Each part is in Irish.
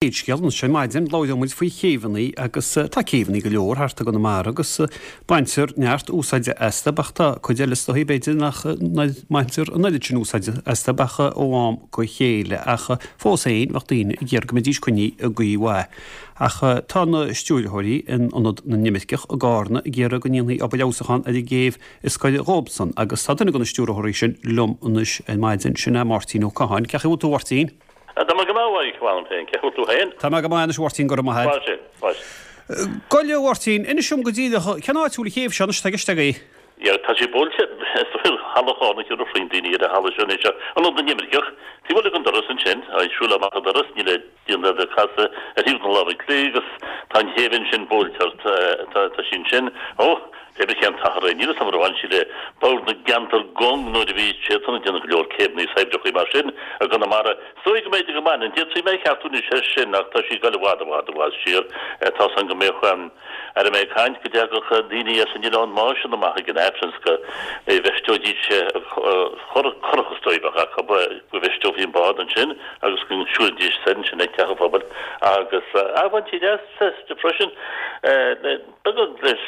Chéad scéal anois ar maidin, labhróidh muid faoi chéibheanna agus tá céibheanna go leor thart i gConamara agus baintear neart úsáide astu ach tá cuid eile is dóichí b'fhéidir nach mbaintear an oiread sin úsáide astu ach ó am go chéile ach fós féin bheadh daoine ag iarraidh go mbeidís coinnithe i gcaoi mhaith. Ach tá na stiúrthóirí in Ionad na nImirceach i gCarna ag iarraidh go ndéanfaí obair fheabhsúcháin ar an gcéibh i scoil dhóibhsan agus tá duine de na stiúrthóirí sin liom anois ar maidin, sin é Máirtín Ó Catháin. Cén chaoi a bhfuil tú a Mháirtín? Tá mé go maith, a Mhaidhc, mh'anam féin. Cén chaoi a bhfuil tú féin? Tá mé go maith anois, a Mháirtín, go raibh maith agat. Maith sin, maith sin. Gabh i leith, a Mháirtín, inis dom go díreach, cén áit a bhfuil an chéibh seo anois atá i gceist agaibh? Yeah, tá sí buailte, is dóigh, Halla Chárna, thiúrfadh roinnt daoine ar an halla seo anois, Ionad na nImirceach. Taobh amuigh den doras ansin, ag siúl amach an doras, níl le déanamh ach casadh ar thaobh na láimhe clí agus tá an chéibh ansin buailte ort, tá sí ansin. Ó! Pé ar bith cén t-achar é, níl 'fhios a'm ar bhain sí le Bord na gCeantar Cúng nuair a bhí siadsan ag déanamh go leor céibheanna is oibreacha mar sin i gConamara. Is dóigh go mb'fhéidir go mbaineann. D'fhéadfaí mé a cheartú anois air sin ach tá sí ag dul i bhfad, i bhfad, i bhfad siar. Tá's a'm go mbíodh, aire mé ag caint, go dtagadh daoine as an Oileán Máisean amach ag an Aifreann 's go bhfeisteoidís curach is dóigh a bheadh acu, go bhfeisteofaí an bád ansin agus go siúlfaidís soir ansin ag Teach an Phobail agus, ah, bhaintí leas as freisin le. Beagán leis,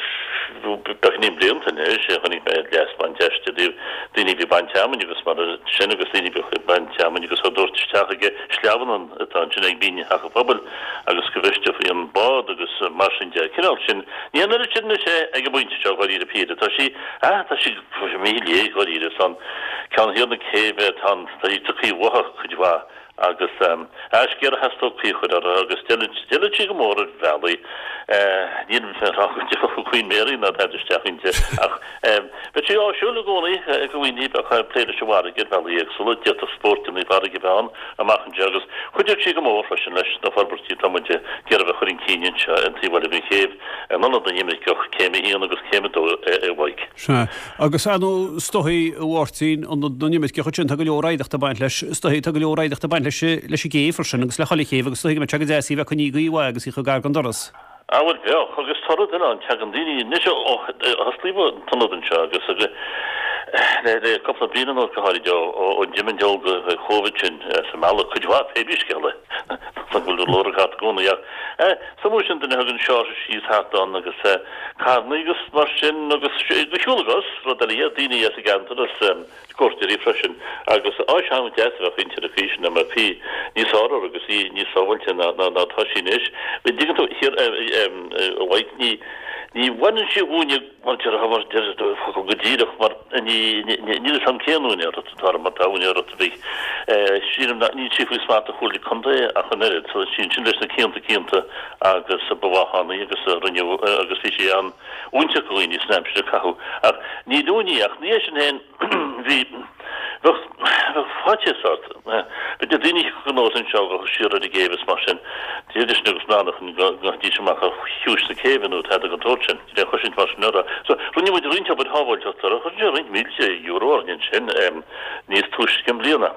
beagáinín blianta anois, chonaic mé leas ag baint aisti i dtaobh daoine a bhí ag baint fheamainn agus mar sin agus daoine a bhíodh ag baint fheamainn agus á dtabhairt isteach ag sleamhnán atá ansin ag binn Theach an Phobail agus go bhfeisteofaí an bád agus mar sin de. Cineál sin. Ní an oiread sin anois é ag an bpointe seo, dháiríre píre. Tá sí, ah, tá sí imithe i léig dháiríre. Tá an ceann thiar na céibhe, tá an, tá sí tagtha uathu cuid mhaith. Agus is géar a theastódh caoi a chur uirthi agus d'fheilfeadh sí go mór ar bhealaí. Níl mé ag rá go dtiocfadh Queen Mary ná tada isteach inti ach bheadh sí áisiúil i gcónaí ag daoine a bheadh ag plé leis an bhfarraige ar bhealaí éagsúla. D'fhéadfadh spóirteanna farraige a bheith ann amach anseo agus chuideodh sí go mór freisin leis na forbairtí atá muid ag iarraidh a chur chun cinn anseo an taobh eile den chéibh in Ionad na nImirceach, Céim a haon agus Céim a dó a Mhaidhc. Sea. Agus ar ndóigh, is dóichí, a Mháirtín, Ionad na nImirceach ansin, tá go leor oidhreachta ag baint leis, is dóichí, tá go leor oidhreachta ag baint leis, leis an gcéibh freisin agus le chuile chéibh agus is dóichí go mbeadh sé go deas í a bheith coinnithe i gcaoi mhaith agus í chomh gar don doras. Á bhuel, bheadh, agus tá rud eile ann, tagann daoine anois ó osclaíodh an t-ionad anseo agus le le cúpla bliain anuas go háirid ó ón diomangheall Covid sin as an mbealach, cuid mhaith pé bí scéal é, go bhfuil lorg thart i gcónaí ach eh, is iomaí sin duine a thugann seársa síos thart ann agus eh, Carranna agus mar sin agus de shiúl na gcos, rud eile iad, daoine as an gceantar as cuairteoirí freisin agus áis an-deas a bheadh inti ar an chaoi sin dá mbeadh caoi níos fearr uirthi agus í níos sábháilte ná ná atá sí anois. An dtuigeann tú, thiar a Mhaidhc, ní ní bhaineann sí dhúinne mar deir mar deir focal go díreach mar ní níl fhios a'm cén úinéireacht atá uirthi má tá úinéireacht ar bith. Sílim nach níl sí faoi smacht an Chomhairle Contae ach an oiread so sí ansin leis na cianta cianta agus ba mhaith ann í agus rinneadh agus bhí sí an-fhóinteach do dhaoine san aimsir a caitheadh. Ach ní dúinn í ach ní é sin féin bhí bheadh bheadh faitíos ort. B'fhéidir daoine a thiocfadh anuas anseo go siar ar an gcéibh is mar sin de sin agus mná nach ngabhaidís amach ar chiumhais na céibhe nó tada den tsórt sin. Níl aon chosaint mar sin orthu. So rinne muid roinnt obair shábháilteachta orthu. Chuir sé roinnt mílte euro orainn ansin níos túisce i mbliana.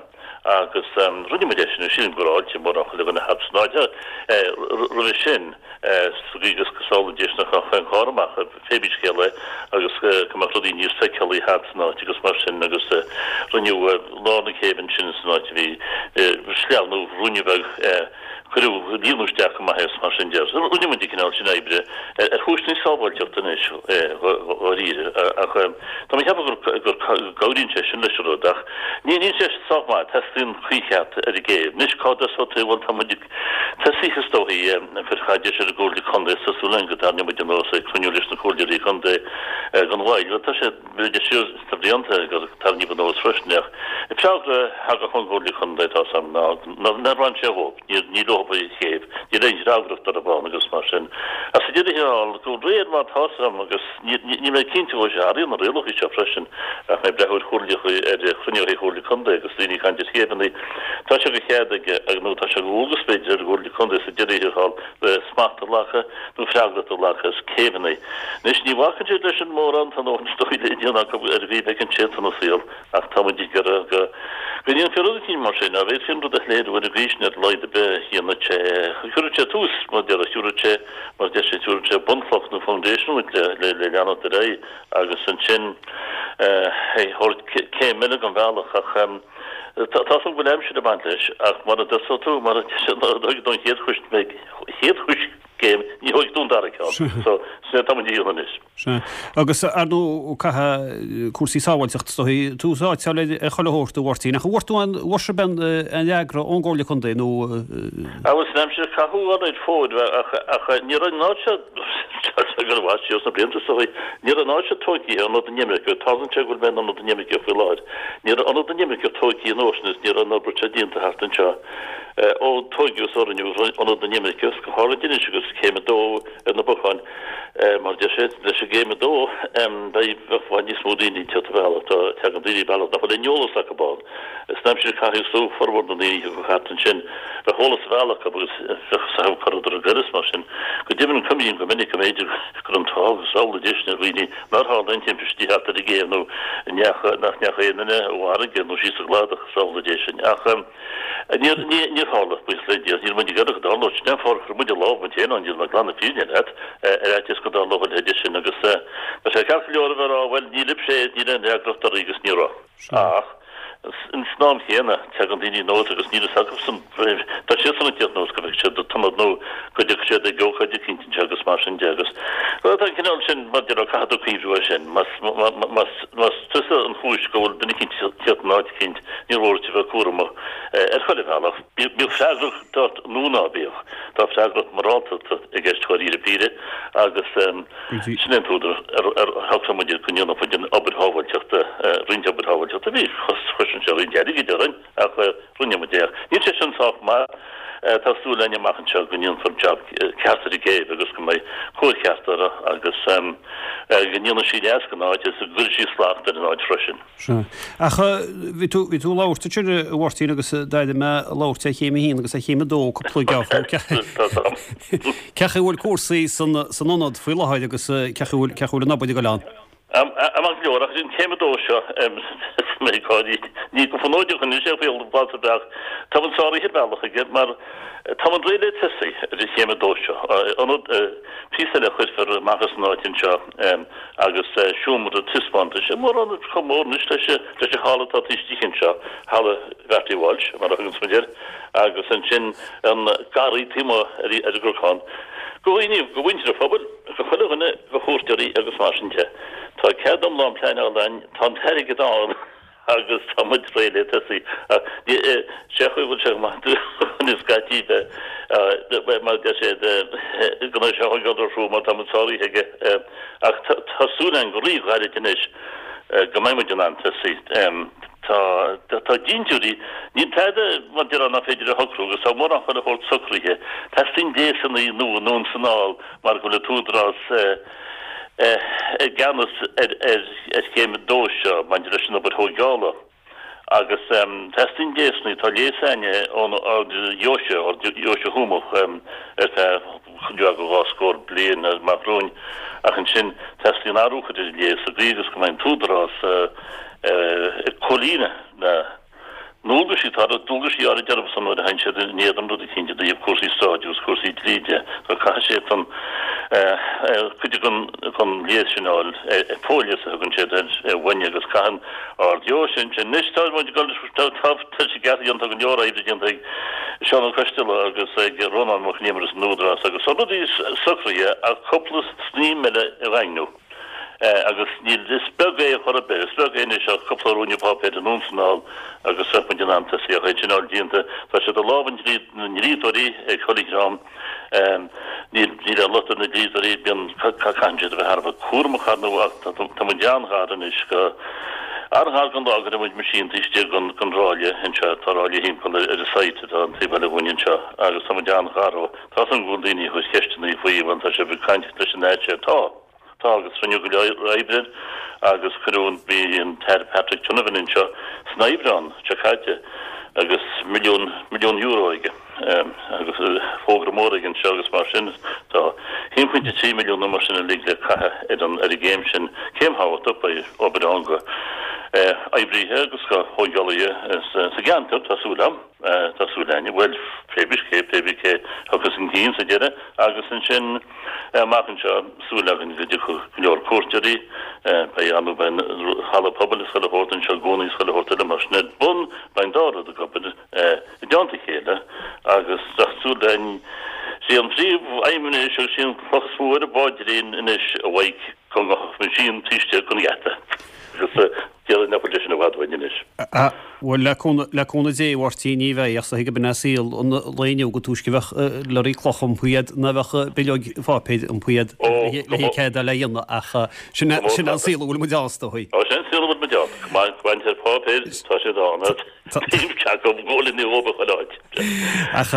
Agus rinne muid é sin, sílim go raibh fáilte mórán chuile dhuine thart san áit roimhe sin, sa gcaoi agus go sábhálfaidís nach raibh aon charr amach, pé bí scéal é, agus go mbeadh rudaí níos feiceálaí thart san áit agus mar sin agus rinneadh lár na céibhe ansin san áit a bhí sleamhnú ruainne beag Cuireadh líonadh isteach go maith é is mar sin de. Rinne muid an cineál sin oibre ar chúiseanna sábháilteachta anois, dháiríre, ach tá mé ag ceapadh gur go gcabhraíonn sé sin leis an rud ach ní níl sé sách maith, teastaíonn caoi cheart ar an gcéibh. Anois cá dtosóidh tú? Bhuel tá muid ag tosaithe is dóichí ag cur caidéis ar an gComhairle Contae is tá súil againn go dtarraingeoidh muid anuas ag cruinniú leis na Comhairleoirí Contae gan mhoill. Bhuel tá sé B'fhéidir siar sna blianta gur tarraingíodh anuas freisin ach an freagra a thagadh ón gComhairle Contae tá 's a'm ná nár bhain sé dhóibh, ní leo an chéibh, níl aon fhreagracht orthu ann agus mar sin. Ach sa deireadh thiar thall, de réir mar tá 's a'm agus níl mé cinnte go bhfuil sé athraíonn na rialacha seo freisin ach mé ag breathnú ar chomhairleacha ar chruinnithe Chomhairle Contae agus daoine ag caint ar chéibheanna, tá sé de chead ag nó tá sé de dhualgas b'fhéidir ar an gComhairle Contae sa deireadh thiar thall smacht a ghlacadh nó freagracht a ghlacadh as céibheanna. Anois, ní bhacann siad leis sin mórán, tá a ndóthain is dóigh le déanamh acu ar an gcaoi a bhfeiceann siadsan an saol, ach tá muid ag iarraidh go go ndéanfaí rud eicínt mar sin, dá bhféadfaí an rud a shoiléiriú ar an gcaoi sin ar a laghad ar bith, dhéanfadh sé, thabharfadh sé tús, mar deir, thabharfadh sé, mar deir sé, thabharfadh sé bunchloch nó foundation uait le le le leanacht ar aghaidh agus ansin eh thabhairt céim eile den bhealach ach. Tá a fhios agam go bhfuil aimsir ag baint leis ach mura dtosóidh tú, mar a deir don chéad chéad choiscéim, ní thógfaidh tú an dara ceann. So, sin é atá muid a dhéanamh anois. Sea. Agus, ar ndóigh, caithfidh cúrsaí sábháilteachta is dóigh tús áite a fháil ar chuile shórt, a Mháirtín. Ach an bhfuair tú aon, bhfuair sibh aon fhreagra ón gComhairle Contae nó. Bhuel, san aimsir a caitheadh an fuair, ach ní raibh an áit seo, go raibh siar sna blianta is dóigh, ní raibh an áit seo tóigthe, Ionad na nImirceach, tarlaíonn sé go bhfuil mé in Ionad na nImirceach faoi láthair, ní raibh Ionad na nImirceach tóigthe an uair sin is ní raibh an obair seo déanta thart anseo ó tóigeadh is ó rinneadh Ionad na nImirceach, go háirid anois agus Céim 2 ar na bacáin. Mar a deir siad, leis an gcéim 2, beidh i bhfad níos mó daoine ag teacht an bealach. Tá, tagann daoine bealach nach bhfuil aon eolas acu ann. San aimsir a caitheadh is formhór na ndaoine a thiocfadh thart ansin, bheadh eolas an bhealaigh acu agus bheadh fhios acu cá rabhadar ag goil is mar sin. Go deimhin, cuimhním go minic go mb'fhéidir go raibh an t-ádh agus amhlaidh deis ar dhaoine nár tharla aon timpistí thart ar an gcéibh nó nach ndeachaigh aon duine i bhfarraige nó síos sa gcladach is amhlaidh é sin. Ach. Níor, níor tharla, buíochas le Dia. Níl muid ag iarraidh go dtarlódh. Sin é an fáth ar chuir muid an lámh muid féin ann, níl mé ag glanadh fírinne leat, ar fhaitíos go dtarlódh a leithéid sin agus tá sé ceart go leor a bheith ag rá, bhuel, ní libhse é, níl aon fhreagracht oraibh agus ní raibh. Ach san am chéanna, tagann daoine anuas agus níl fhios acusan, tá siadsan ag tíocht anuas go bhfeicfidh siad an t-ionad nó go dtiocfaidh siad ag ócáid eicínt anseo agus mar sin de agus tá an cineál sin, mar a déarfá, caithfidh tú cuimhniú air sin. Más, más, más tusa an chúis go bhfuil duine eicínt ag tíocht in áit eicínt, Ní mór duit a bheith cúramach ar chuile bhealach, bíodh freagracht ort nó ná bíodh. Tá freagracht mhorálta i gceist dháiríre píre agus sin é an t-údar ar shocraigh muid go ndéanfadh muid an obair shábháilteachta, roinnt obair shábháilteachta. Bhí, chosain sé roinnt airgid orainn ach rinne muid é. Níl sé sin sách maith. Tá súil againn amach anseo go ndéanfar jab ceart ar an gcéibh agus go mbeidh cóir cheart uirthi agus go ndéanfaidh sí leas don áit agus go gcuirfidh sí slacht ar an áit freisin. Sea. Ach bhí tú, bhí tú ag labhairt ansin, a Mháirtín, agus d'airigh mé labhairt ar Chéim 1 agus ar Chéim 2 cúpla geábh. Cén chaoi a bhfuil cúrsaí san, san ionad faoi láthair agus cén chaoi a bhfuil, cén chaoi a bhfuil an obair ag dul ann? Maith go leor, ach an Chéim 2 seo, mé ag gáirí, ní go fonóideach anois é faoi bhlas ar bhealach. Tá muid sáraithe ar bhealach aige mar tá muid réidh le tosaí ar an Chéim 2 seo. Ionad, píosa eile a chuirfear amach as an áit anseo. agus seomra taispeántais, mórán chomh mór anois leis an halla atá taobh istigh anseo, Halla Bhertie Walsh, mar a thuganns muid air, agus ansin an garraí taobh amuigh ar an gcnocán. Do dhaoine, do mhuintir an phobail, do chuile dhuine, do chuairteoirí agus mar sin de. Tá cead iomlán pleanála againn, tá an t-airgead ann. agus tá muid réidh le tosaí. Ach sé chaoi a bhfuil sé go maith dúinn scaití bheith mar a deir siad go mbeidh sé á thógáil ar siúl mar tá muid sáraithe aige. Ach tá súil againn go ríghairid anois go mbeidh muid in ann tosaí. Tá tá dintiúirí, níl tada mar déarfá nach féidir a shocrú agus tá mórán chuile shórt socraithe. Teastaíonn gléasanna nua anonn is anall mar go bhfuil an t-údarás i gceannas ar chéim 2 seo maidir leis an obair thóigeála agus teastaíonn gléasanna, tá léas againne ón Ord Dheoise, Ord Dheoise Thuamach ar feadh cuid mhaith de dhá scór bliain amach romhainn ach ansin teastaíonn athrú a chur ar an léas sa gcaoi agus go mbeidh an t-údarás ag comhlíonadh na ndualgaisí, tá dualgaisí áirid orthu nuair a théann siad in éadan rud eicínt i dtaobh cúrsaí sráide agus cúrsaí dlí de. So caithfidh siad san cuid den léas sin a fháil, fo-léas a thugann siad air uainne agus caitheann Ard Dheoise ansin. Anois tá muid ag dul, tá tá sé ceart déanta, go leor oibre déanta ag Seán Ó Coisteala agus ag Rónán Mac Con Iomaire san Údarás agus tá rudaí socraithe ach cúpla snaidhm eile a dhaingniú. Agus níl, is beag é chor ar bith, is beag é anois ach cúpla ruainne páipéir anonn is anall agus bheadh muid in ann tosaí ach é sin a fháil déanta. Tá siad i lámha na ndlíodóirí ag chuile dhream. Níl, níl aon locht ar na dlíodóirí, bíonn, caitheann siad a bheith thar a bheith cúramach ar ndóigh ach tá muid an-ghar anois go, an-ghar don lá go raibh muid meaisín taobh istigh den, den ráille anseo, tá ráille thimpeall ar an site atá an taobh eile dhúinn anseo agus tá muid an-ghar ó, tá a fhios agam go bhfuil daoine ag cur ceisteanna faoi, bhuel tá sibh ag caint leis an áit seo, tá. Tá agus rinneadh go leor oibre air agus cuireadh an, bhí an tAire Patrick Donovan anseo san Aibreán seo caite agus milliún, milliún euro aige agus fógra mór aige anseo agus mar sin tá 1.3 milliún nó mar sin uilig le caitheamh ar an, ar an gcéim sin. Céim thábhachtach, beidh obair ann go. Oibrithe agus go thógálaithe sa gceantar, tá súil agam, tá súil againn, bhuel, pé bith cé, pé bith cé thiocfas chun cinn sa deireadh agus ansin amach anseo, súil againn go dtiocfaidh go leor cuairteoirí, beidh ann, beidh an halla pobail is chuile shórt anseo i gcónaí is chuile shórt eile mar sin ar bun, beidh an dá rud ag obair i dteannta a chéile agus tá súil againn, sí an phríomh-aidhm anois agus sí an chloch is mó ar an bpaidrín anois a Mhaidhc go ngabhfadh an meaisín taobh istigh den gheata. Agus déarfainn nach bhfuil sé sin i bhfad uainn anois. Ah, bhuel, le cúnamh, le cúnamh Dé, a Mháirtín, ní bheidh, ach is dóichí gurb in é saol an lae inniu go túisce a bheadh lorry cloch iompaithe agat ná a bheadh bileog pháipéir iompaithe agat le le cead le dhéanamh ach sin é, sin é an saol a bhfuil muid ann, is dóichí. Ó, sin an saol a bhfuil muid ann. Go mbaintear páipéir, tá siad ann. Ach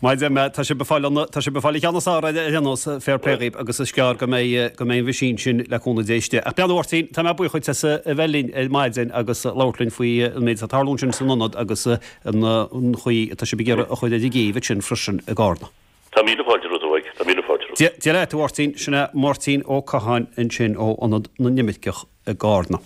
maidir le, tá sibh ag fáil an, tá sibh ag fáil an cheann is fearr ar aon nós, fair play dhaoibh agus is gearr go mbeidh, go mbeidh an mheaisín sin le cúnamh Dé istigh. Ach beannacht a Mháirtín, tá mé buíoch dhuit as a bheith linn ar maidin agus labhairt linn faoi an méid atá ag tarlú ansin san ionad agus an chaoi atá sibh ag iarraidh a chur ar an gcéibh ansin freisin i gCarna. Tá míle fáilte romhat, a Mhaidhc, tá míle fáilte romhat. Dia leat, a Mháirtín, sin é Máirtín Ó Catháin ansin ó Ionad na nImirceach i gCarna.